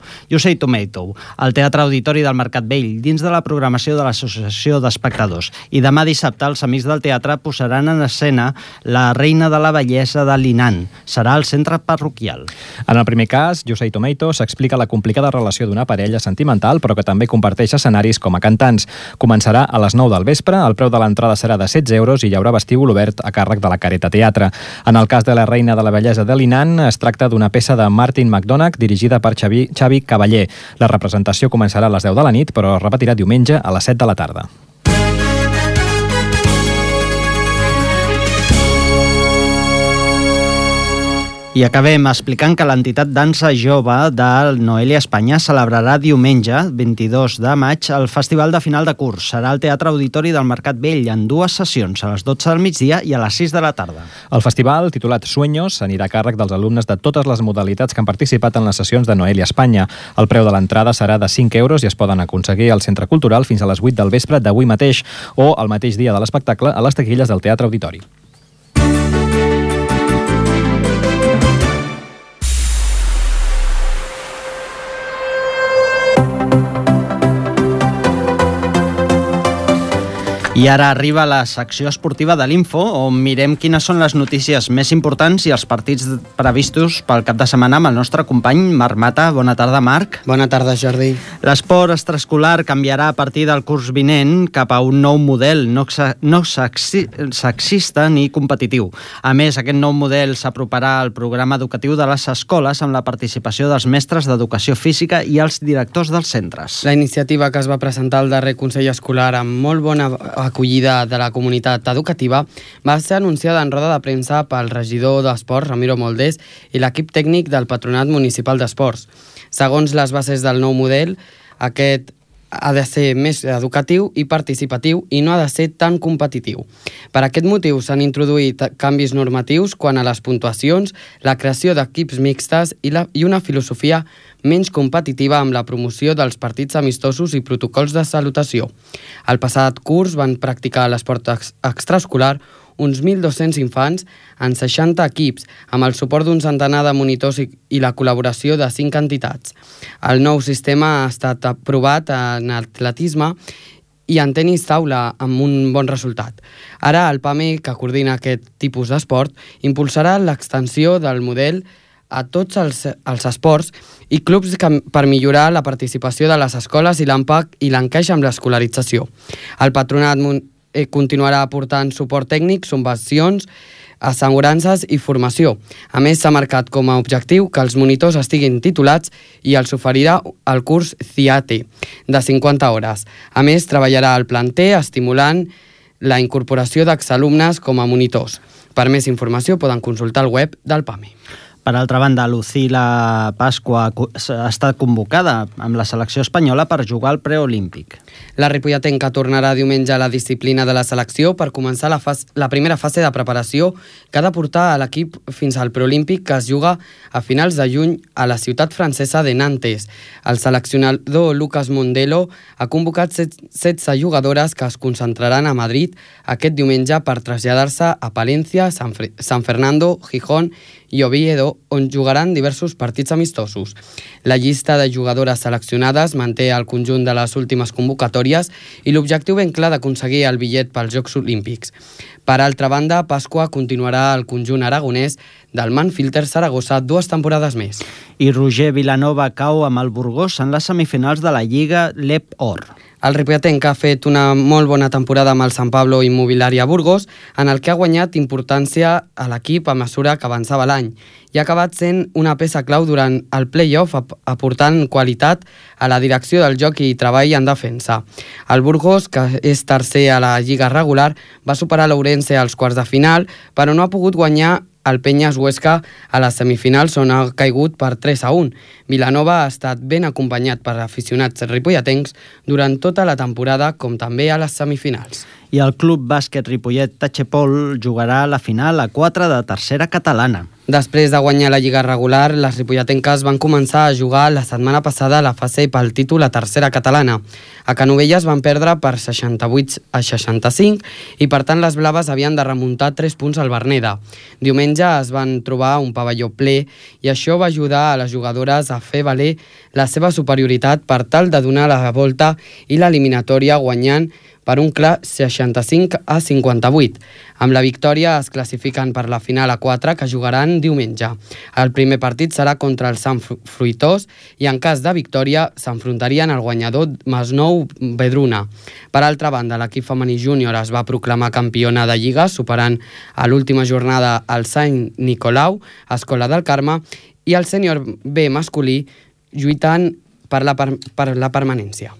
al Teatre Auditori del Mercat Vell, dins de la programació de l'Associació d'Espectadors. I demà dissabte els amics del teatre posaran en escena La reina de la bellesa de Linan. Serà al centre parroquial. En el primer cas, You Say Tomato, s'explica la complicada relació d'una parella sentimental, però que també comparteix escenaris com a cantants. Començarà a les 9 del vespre, el preu de l'entrada serà de 16 euros i hi haurà vestíbul obert a càrrec de la Careta Teatre. En el cas de La reina de la bellesa de Linan, es tracta d'una peça de Martin McDonagh dirigida per Xavi Cavaller. La representació començarà a les 10 de la nit, però es repetirà diumenge a les 7 de la tarda. I acabem explicant que l'entitat Dansa Jove de Noelia Espanya celebrarà diumenge, 22 de maig, el festival de final de curs. Serà al Teatre Auditori del Mercat Vell en 2 sessions, a les 12 del migdia i a les 6 de la tarda. El festival, titulat Sueños, anirà a càrrec dels alumnes de totes les modalitats que han participat en les sessions de Noelia Espanya. El preu de l'entrada serà de 5 euros i es poden aconseguir al Centre Cultural fins a les 8 del vespre d'avui mateix o el mateix dia de l'espectacle a les taquilles del Teatre Auditori. I ara arriba la secció esportiva de l'Info, on mirem quines són les notícies més importants i els partits previstos pel cap de setmana amb el nostre company Marc Mata. Bona tarda, Marc. Bona tarda, Jordi. L'esport extraescolar canviarà a partir del curs vinent cap a un nou model no sexista ni competitiu. A més, aquest nou model s'aproparà al programa educatiu de les escoles amb la participació dels mestres d'educació física i els directors dels centres. La iniciativa que es va presentar al darrer Consell Escolar amb molt bona acollida de la comunitat educativa va ser anunciada en roda de premsa pel regidor d'Esports, Ramiro Moldés, i l'equip tècnic del Patronat Municipal d'Esports. Segons les bases del nou model, aquest ha de ser més educatiu i participatiu i no ha de ser tan competitiu. Per aquest motiu s'han introduït canvis normatius quant a les puntuacions, la creació d'equips mixtes i una filosofia menys competitiva amb la promoció dels partits amistosos i protocols de salutació. El passat curs van practicar l'esport extraescolar uns 1.200 infants en 60 equips, amb el suport d'un centenar de monitors i la col·laboració de 5 entitats. El nou sistema ha estat aprovat en atletisme i en tenis taula amb un bon resultat. Ara el PAME, que coordina aquest tipus d'esport, impulsarà l'extensió del model a tots els esports i clubs per millorar la participació de les escoles i l'encaix amb l'escolarització. El patronat continuarà aportant suport tècnic, subvencions, assegurances i formació. A més, s'ha marcat com a objectiu que els monitors estiguin titulats i els oferirà el curs CIATE de 50 hores. A més, treballarà el planter estimulant la incorporació d'exalumnes com a monitors. Per més informació poden consultar el web del PAME. Per altra banda, Lucila Pasqua ha estat convocada amb la selecció espanyola per jugar al preolímpic. La ripolletenca tornarà diumenge a la disciplina de la selecció per començar la primera fase de preparació que ha de portar a l'equip fins al preolímpic que es juga a finals de juny a la ciutat francesa de Nantes. El seleccionador Lucas Mondelo ha convocat 16 jugadores que es concentraran a Madrid aquest diumenge per traslladar-se a Palencia, San Fernando, Gijón i Oviedo, on jugaran diversos partits amistosos. La llista de jugadores seleccionades manté el conjunt de les últimes convocatòries i l'objectiu ben clar d'aconseguir el bitllet pels Jocs Olímpics. Per altra banda, Pasqua continuarà al conjunt aragonès del Manfilter Saragossa 2 temporades més. I Roger Vilanova cau amb el Burgos en les semifinals de la Lliga LEP Or. El ripolletenc ha fet una molt bona temporada amb el Sant Pablo Immobiliària Burgos, en el que ha guanyat importància a l'equip a mesura que avançava l'any i ha acabat sent una peça clau durant el play-off, aportant qualitat a la direcció del joc i treball en defensa. El Burgos, que és tercer a la Lliga regular, va superar l'Ourense als quarts de final, però no ha pogut guanyar el Penyes Huesca a les semifinals, on ha caigut per 3-1. Vilanova ha estat ben acompanyat per aficionats ripolletencs durant tota la temporada, com també a les semifinals. I el Club Bàsquet Ripollet Tachepol jugarà a la final a 4 de tercera catalana. Després de guanyar la Lliga regular, les ripolletenques van començar a jugar la setmana passada a la fase pel títol a tercera catalana. A Canovelles van perdre per 68-65 i per tant les blaves havien de remuntar 3 punts al Verneda. Diumenge es van trobar un pavelló ple i això va ajudar a les jugadores a fer valer la seva superioritat per tal de donar la volta i l'eliminatòria guanyant per un clar 65-58. Amb la victòria es classifiquen per la final a 4 que jugaran diumenge. El primer partit serà contra el Sant Fruitós i en cas de victòria s'enfrontarien al guanyador Masnou Vedruna. Per altra banda, l'equip femení júnior es va proclamar campiona de Lliga superant a l'última jornada el Sant Nicolau, Escola del Carme, i el sènior B masculí lluitant per la permanència.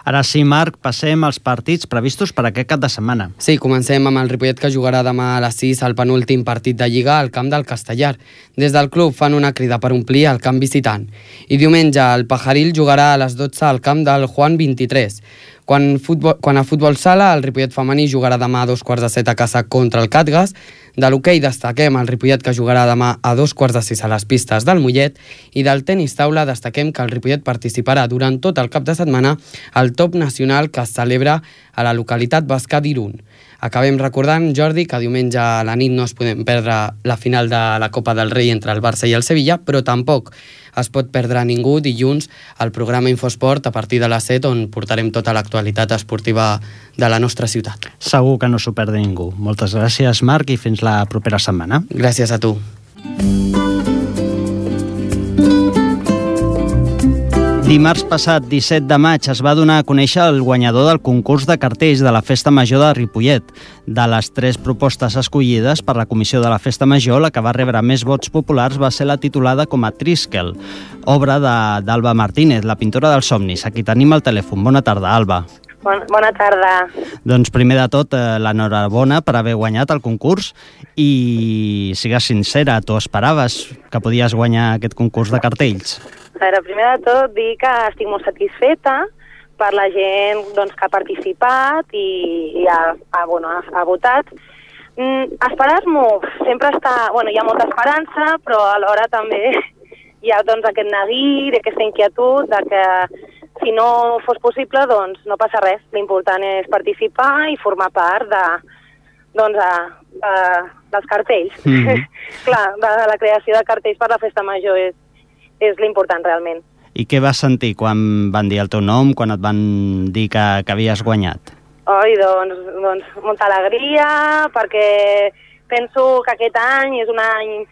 Ara sí, Marc, passem als partits previstos per aquest cap de setmana. Sí, comencem amb el Ripollet, que jugarà demà a les 6 al penúltim partit de Lliga al camp del Castellar. Des del club fan una crida per omplir el camp visitant. I diumenge el Pajaril jugarà a les 12 al camp del Juan 23. Quan a futbol sala, el Ripollet femení jugarà demà a 7:15 a casa contra el Catgas. De l'hoquei destaquem el Ripollet, que jugarà demà a 5:45 a les pistes del Mollet, i del tenis taula destaquem que el Ripollet participarà durant tot el cap de setmana al top nacional que es celebra a la localitat basca d'Irun. Acabem recordant, Jordi, que diumenge a la nit no es podem perdre la final de la Copa del Rei entre el Barça i el Sevilla, però tampoc es pot perdre ningú dilluns al programa Infosport a partir de les 7, on portarem tota l'actualitat esportiva de la nostra ciutat. Segur que no s'ho perdi ningú. Moltes gràcies, Marc, i fins la propera setmana. Gràcies a tu. Dimarts passat, 17 de maig, es va donar a conèixer el guanyador del concurs de cartells de la Festa Major de Ripollet. De les 3 propostes escollides per la comissió de la Festa Major, la que va rebre més vots populars va ser la titulada com a Triskel, obra d'Alba Martínez, la pintora dels somnis. Aquí tenim el telèfon. Bona tarda, Alba. Bona tarda. Doncs primer de tot, l'enhorabona per haver guanyat el concurs i sigues sincera, tu esperaves que podies guanyar aquest concurs de cartells? A veure, primer de tot dir que estic molt satisfeta per la gent que ha participat i ha votat. Esperar-m'ho sempre està... hi ha molta esperança, però alhora també hi ha aquest neguit, aquesta inquietud de que si no fos possible, no passa res. L'important és participar i formar part dels cartells. Clar, de la creació de cartells per la Festa Major és l'important realment. I què vas sentir quan van dir el teu nom, quan et van dir que havies guanyat? Doncs molta alegria, perquè penso que aquest any és un any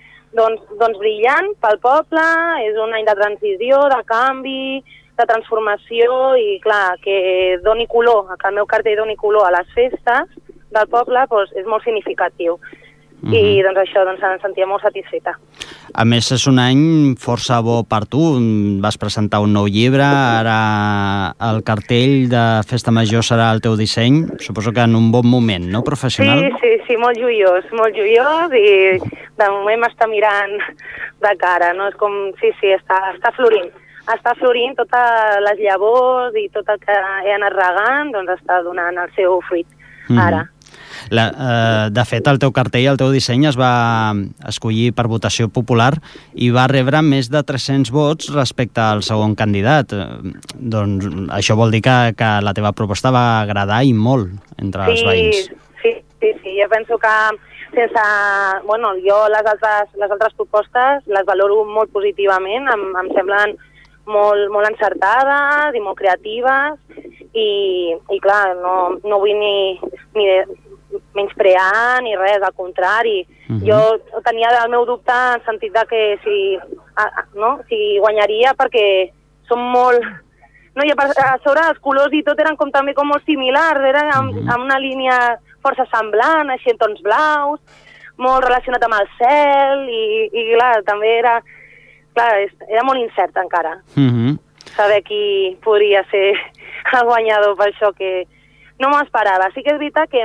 brillant pel poble, és un any de transició, de canvi, de transformació i, clar, que doni color, que el meu cartell doni color a les festes del poble és molt significatiu. I això em sentia molt satisfeta. A més, és un any força bo per tu. Vas presentar un nou llibre, ara el cartell de Festa Major serà el teu disseny. Suposo que en un bon moment, no, professional? Sí, molt joiós i de moment m'està mirant de cara, no? És com, està florint. Està florint totes les llavors i tot el que he anat regant, està donant el seu fruit ara. De fet, el teu cartell, el teu disseny es va escollir per votació popular i va rebre més de 300 vots respecte al segon candidat. Doncs això vol dir que la teva proposta va agradar i molt entre els veïns. Sí. Jo penso que jo les altres propostes les valoro molt positivament, em semblen molt encertades i molt creatives i clar, no vull ni menysprear ni res, al contrari. Jo tenia el meu dubte en sentit de que si guanyaria perquè són molt... I a sobre els colors i tot eren també molt similars, era amb una línia força semblant, així en tons blaus, molt relacionat amb el cel i clar, també era molt incert encara. Saber qui podria ser el guanyador, per això que no m'ho esperava. Sí que és veritat que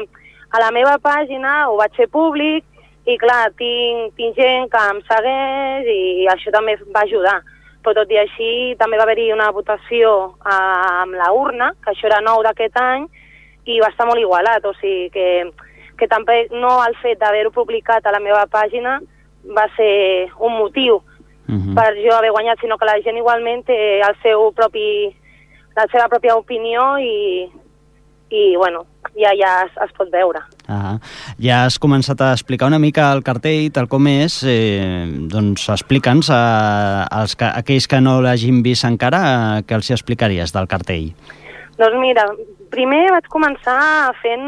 a la meva pàgina ho vaig fer públic i clar, tinc gent que em segueix i això també va ajudar. Però tot i així també va haver-hi una votació amb la urna, que això era nou d'aquest any, i va estar molt igualat. O sigui que també no el fet d'haver-ho publicat a la meva pàgina va ser un motiu per jo haver guanyat, sinó que la gent igualment té la seva pròpia opinió i ja es pot veure. Ja has començat a explicar una mica el cartell, tal com és, doncs explica'ns a aquells que no l'hagin vist encara, què els explicaries del cartell? Doncs mira, primer vaig començar fent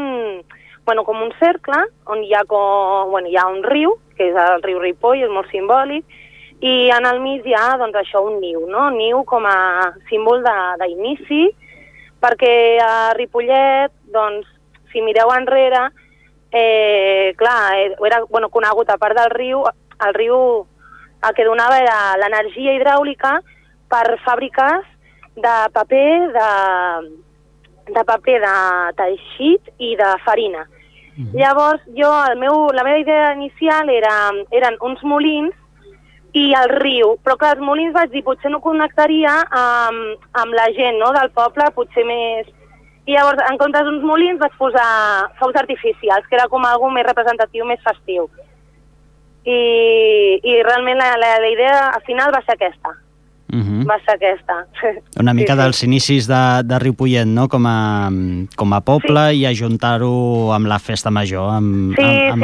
com un cercle on hi ha un riu, que és el riu Ripoll, és molt simbòlic, i en el mig hi ha un niu, no? Niu com a símbol d'inici, perquè a Ripollet, si mireu enrere, era conegut, a part del riu, el que donava era l'energia hidràulica per fàbriques de paper de teixit i de farina. Llavors, la meva idea inicial eren uns molins i el riu, però clar, els molins vaig dir, potser no connectaria amb la gent, no?, del poble, potser més... I llavors, en comptes d'uns molins, vaig posar focs artificials, que era com algo més representatiu, més festiu. I realment la idea al final va ser aquesta. Va ser aquesta. Una mica dels inicis de Ripollet, no?, com a poble, i ajuntar-ho amb la festa major, amb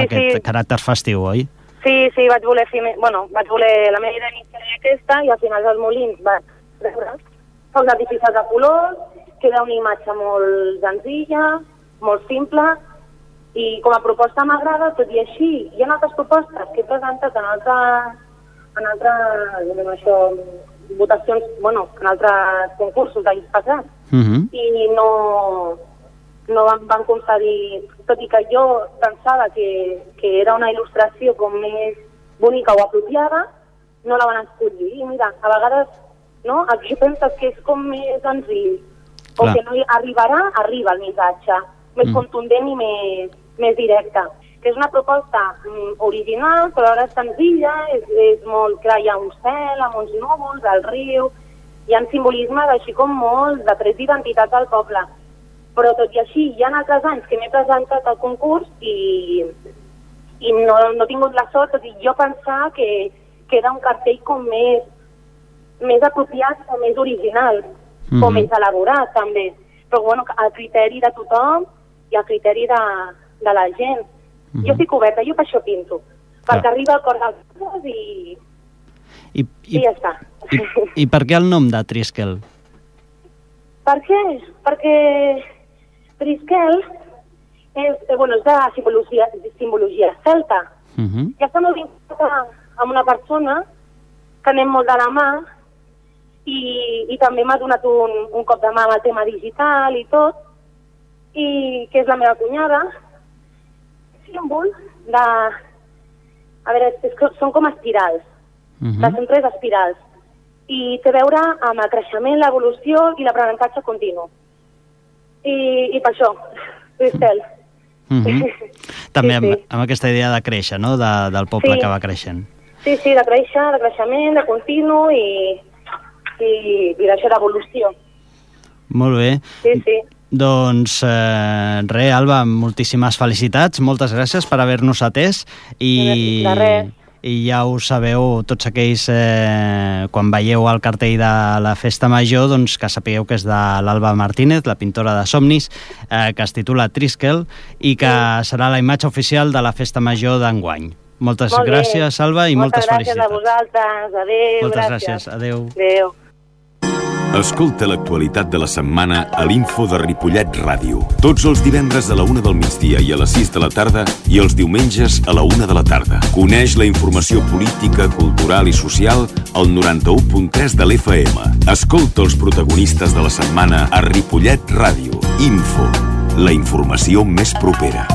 aquest caràcter festiu, oi? Sí, vaig voler la meva idea inicial era aquesta, i al final dels molins vaig treure focs artificials de colors, queda una imatge molt senzilla, molt simple, i com a proposta m'agrada, tot i així. Hi ha altres propostes que he presentat en altres votacions, en altres concursos d'anys passats, i no van concedir, tot i que jo pensava que era una il·lustració com més bonica o apropiada, no la van escollir. I mira, a vegades, no?, aquí penses que és com més senzill, o que no arriba el missatge, més contundent i més directe. Que és una proposta original, però ara és senzilla, és molt clar, hi ha un cel amb uns núvols, el riu, hi ha simbolismes així com molt de trets d'identitat del poble. Però tot i així, hi ha altres anys que m'he presentat al concurs i no he tingut la sort, tot i jo pensar que era un cartell com més apropiat o més original, o més elaborat també. Però bueno, al criteri de tothom i al criteri de la gent. Jo estic oberta, jo per això pinto, perquè arriba al cor dels coses i ja està. I per què el nom de Triskel? Per què? Perquè Triskel és de simbologia celta. Ja està molt vinculat amb una persona que anem molt de la mà i també m'ha donat un cop de mà amb el tema digital i tot, i que és la meva cunyada, símbol de... A veure, són com espirals, són 3 espirals, i té a veure amb el creixement, l'evolució i l'aprenentatge continu. I per això, Triskel. També amb aquesta idea de créixer, no?, del poble que va creixent. Sí, de créixer, de creixement, de continu i d'això d'evolució. Molt bé. Sí. Doncs res, Alba, moltíssimes felicitats, moltes gràcies per haver-nos atès i ja ho sabeu, tots aquells quan veieu el cartell de la Festa Major, doncs que sapigueu que és de l'Alba Martínez, la pintora de somnis, que es titula Triskel i que serà la imatge oficial de la Festa Major d'enguany. Moltes gràcies, Alba, i moltes felicitats. Moltes gràcies a vosaltres, adéu. Moltes gràcies, adéu. Adéu. Escolta l'actualitat de la setmana a l'Info de Ripollet Ràdio. Tots els divendres a la 1 del migdia i a les 6 de la tarda i els diumenges a la 1 de la tarda. Coneix la informació política, cultural i social al 91.3 de l'FM. Escolta els protagonistes de la setmana a Ripollet Ràdio. Info, la informació més propera.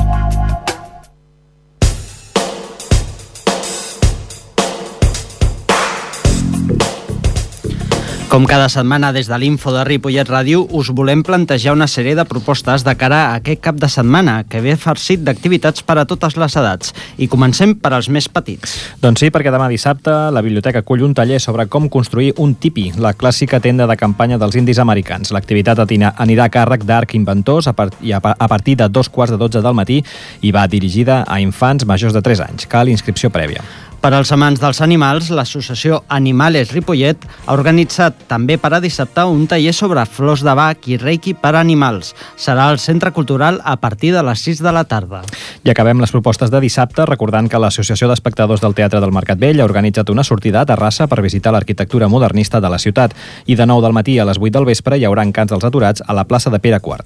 Com cada setmana des de l'Info de Ripollet Ràdio us volem plantejar una sèrie de propostes de cara a aquest cap de setmana que ve farcit d'activitats per a totes les edats. I comencem per als més petits. Doncs sí, perquè demà dissabte la biblioteca acull un taller sobre com construir un tipi, la clàssica tenda de campanya dels indis americans. L'activitat anirà a càrrec d'Arc Inventors a partir de 2:15 del matí i va dirigida a infants majors de 3 anys. Cal inscripció prèvia. Per als amants dels animals, l'associació Animales Ripollet ha organitzat també per a dissabte un taller sobre flors de Bach i reiki per a animals. Serà al Centre Cultural a partir de les 6 de la tarda. I acabem les propostes de dissabte recordant que l'Associació d'Espectadors del Teatre del Mercat Vell ha organitzat una sortida a Terrassa per visitar l'arquitectura modernista de la ciutat. I de 9 del matí a les 8 del vespre hi haurà encants dels aturats a la plaça de Pere IV.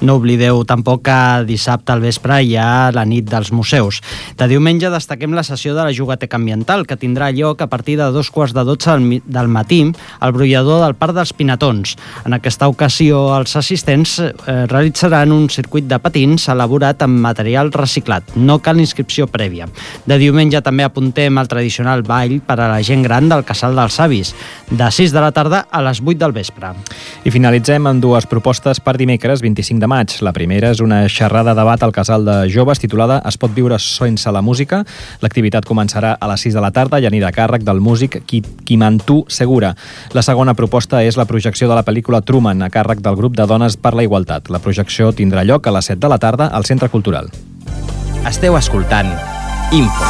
No oblideu tampoc que dissabte al vespre hi ha la nit dels museus. De diumenge destaquem la sessió de la Jugateca Ambiental, que tindrà lloc a partir de 2:15 del matí al brollador del Parc dels Pinatons. En aquesta ocasió, els assistents realitzaran un circuit de patins elaborat amb material reciclat reciclat. No cal inscripció prèvia. De diumenge també apuntem el tradicional ball per a la gent gran del Casal dels Savis, de 6 de la tarda a les 8 del vespre. I finalitzem amb dues propostes per dimecres 25 de maig. La primera és una xerrada debat al Casal de Joves titulada Es pot viure sense la música. L'activitat començarà a les 6 de la tarda i anirà a càrrec del músic Quimantu Segura. La segona proposta és la projecció de la pel·lícula Truman a càrrec del grup de Dones per la Igualtat. La projecció tindrà lloc a les 7 de la tarda al Centre Cultural. Esteu escoltant Info.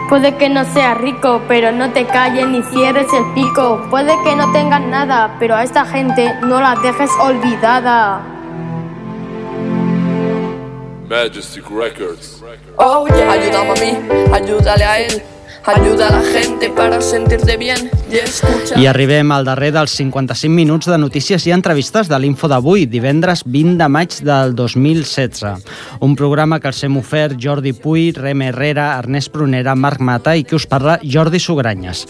Puede que no seas rico, pero no te calles ni cierres el pico. Puede que no tengas nada, pero a esta gente no la dejes olvidada. Majestic Records. Oh yeah. Ayúdame a mí, ayúdale a él. Ayuda a la gente para sentirte bien i escucha. I arribem al darrer dels 55 minuts de notícies i entrevistes de l'Info d'avui, divendres 20 de maig del 2016. Un programa que els hem ofert Jordi Puy, Rem Herrera, Ernest Prunera, Marc Mata i qui us parla, Jordi Sugranyes.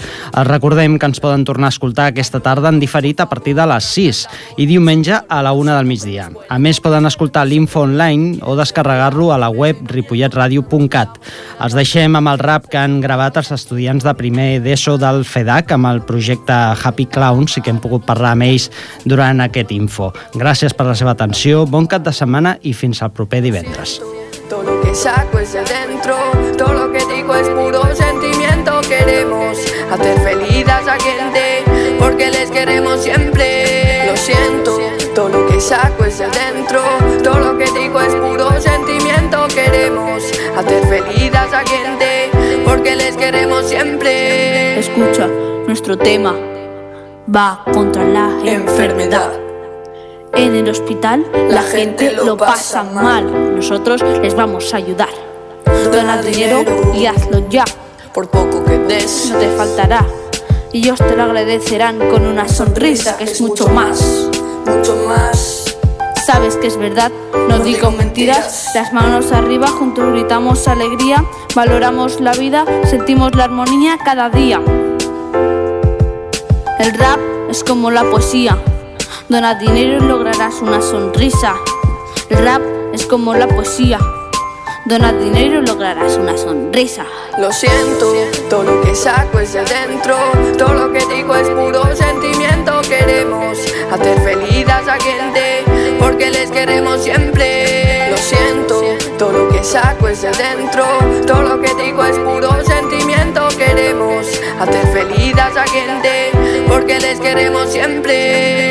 Recordem que ens poden tornar a escoltar aquesta tarda en diferit a partir de les 6 i diumenge a la 1 del migdia. A més, poden escoltar l'Info online o descarregar-lo a la web ripolletradio.cat. Els deixem amb el rap que han gravat els estudiants de primer d'ESO del FEDAC amb el projecte Happy Clowns i que hem pogut parlar amb ells durant aquest Info. Gràcies per la seva atenció, bon cap de setmana i fins al proper divendres. Todo lo que saco es de dentro, todo lo que digo es puro sentimiento. Queremos hacer feliz a esa gente porque les queremos siempre. Lo siento, todo lo que saco es de dentro, todo lo que digo es puro sentimiento. Queremos hacer feliz a esa gente porque les queremos siempre. Escucha, nuestro tema va contra la enfermedad. En el hospital la gente lo pasa mal. Nosotros les vamos a ayudar. Dona dinero y hazlo ya. Por poco que des, no te faltará. Y ellos te lo agradecerán con una sonrisa que es mucho más. Mucho más. Sabes que es verdad, no digo mentiras. Las manos arriba, juntos gritamos alegría. Valoramos la vida, sentimos la armonía cada día. El rap es como la poesía. Dona dinero y lograrás una sonrisa. El rap es como la poesía. Dona dinero y lograrás una sonrisa. Lo siento, todo lo que saco es de dentro, todo lo que digo es puro sentimiento. Queremos hacer feliz a esa gente porque les queremos siempre. Lo siento, todo lo que saco es de dentro, todo lo que digo es puro sentimiento. Queremos hacer feliz a esa gente porque les queremos siempre.